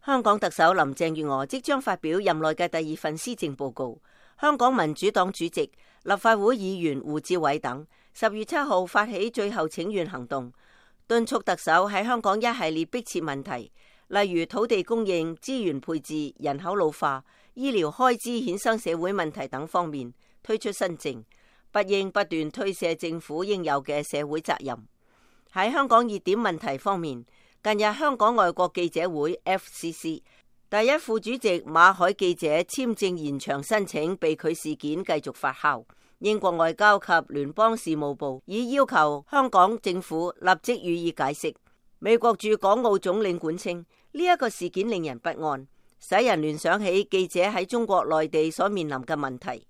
香港特首林鄭月娥即將發表任內嘅第2份施政報告。香港民主黨主席、立法會議員胡志偉等10月7號發起最後請願行動，敦促特首喺香港一系列迫切問題，例如土地供應、資源配置、人口老化、醫療開支衍生社會問題等方面推出新政，不應不斷推卸政府應有嘅社會責任。喺香港熱點問題方面，近日香港外國記者會 FCC 第一副主席馬凱記者簽證延長申請被拒事件繼續發酵，英國外交及聯邦事務部已要求香港政府立即予以解釋。美國駐港澳總領館稱呢一個事件令人不安，使人聯想起記者喺中國內地所面臨嘅問題。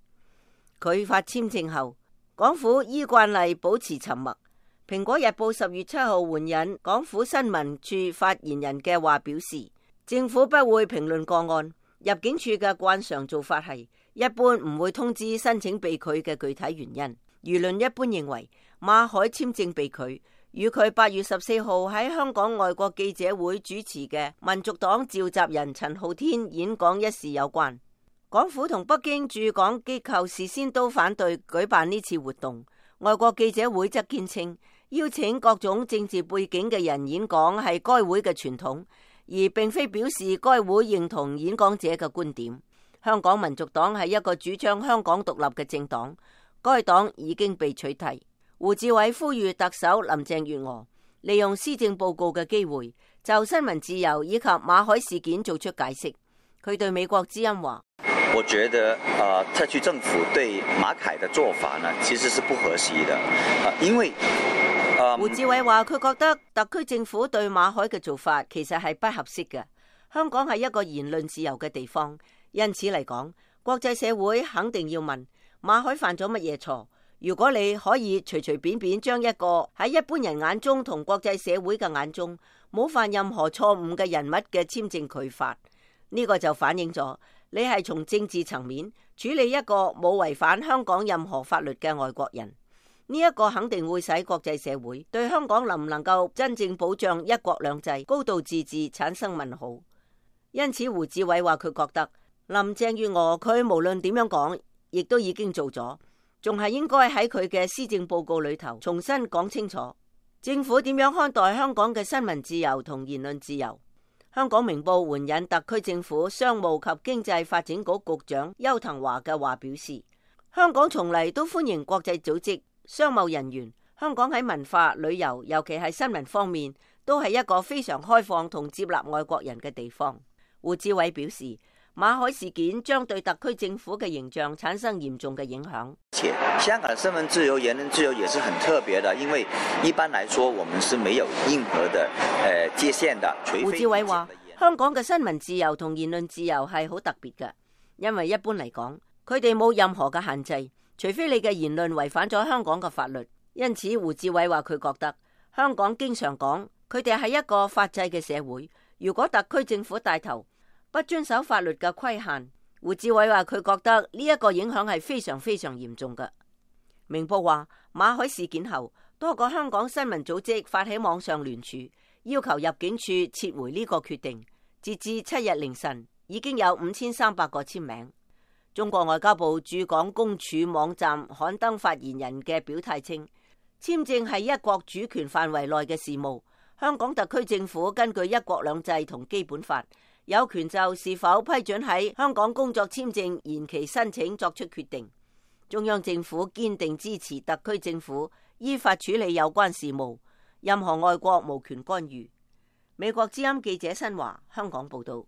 拒發簽證後，港府依慣例保持沉默。蘋果日報10月7號援引港府新聞處發言人嘅話表示，政府不會評論個案，入境處嘅慣常做法係一般唔會通知申請被拒嘅具體原因。輿論一般認為馬凱簽證被拒與佢8月14號喺香港外國記者會主持嘅民族黨召集人陳浩天演講一事有關。港府同北京駐港機構事先都反對舉辦呢次活動，外國記者會則堅稱邀請各種政治背景嘅人演講係該會嘅傳統，而並非表示該會認同演講者嘅觀點。香港民族黨係一個主張香港獨立嘅政黨，該黨已經被取締。胡志偉呼籲特首林鄭月娥利用施政報告嘅機會，就新聞自由以及馬凱事件做出解釋。佢對美國之音話：我覺得特區政府對馬凱的做法呢，其實是不合適的，因為胡志偉話佢覺得特區政府對馬凱嘅做法其實係不合適嘅。香港係一個言論自由嘅地方，因此嚟講，國際社會肯定要問馬凱犯咗乜嘢錯。如果你可以隨隨便便將一個喺一般人眼中同國際社會嘅眼中冇犯任何錯誤嘅人物嘅簽證拒發，呢個就反映咗你係從政治層面處理一個冇違反香港任何法律嘅外國人。呢一個肯定會使國際社會對香港能唔能夠真正保障一國兩制、高度自治產生問號。因此胡志偉話佢覺得林鄭月娥佢無論點樣講，亦都已經做咗，仲係應該喺佢嘅施政報告裏頭重新講清楚政府點樣看待香港嘅新聞自由同言論自由。香港明報援引特區政府商務及經濟發展局局長邱騰華嘅話表示，香港從嚟都歡迎國際組織、商貿人員。香港喺文化、旅遊，尤其係新聞方面，都係一個非常開放同接納外國人嘅地方。胡志偉表示，馬凱事件將對特區政府嘅形象產生嚴重嘅影響。且香港的新聞自由、言論自由也是很特別的，因為一般來說，我們是沒有任何的界限的。胡志偉話，香港嘅新聞自由同言論自由係好特別嘅，因為一般嚟講，佢哋冇任何嘅限制，除非你嘅言論違反咗香港嘅法律。因此，胡志偉話佢覺得香港經常講佢哋係一個法制嘅社會，如果特區政府帶頭不遵守法律嘅規限，胡志偉話佢覺得呢一個影響係非常非常嚴重嘅。明報話，馬凱事件後，多個香港新聞組織發起網上聯署，要求入境處撤回呢個決定。截至7日凌晨，已經有5300個簽名。中國外交部駐港公署網站刊登發言人嘅表態稱，簽證係一國主權範圍內嘅事務，香港特區政府根據一國兩制同基本法，有權就是否批准喺香港工作簽證延期申請作出決定。中央政府堅定支持特區政府依法處理有關事務，任何外國無權干預。美國之音記者新華香港報道。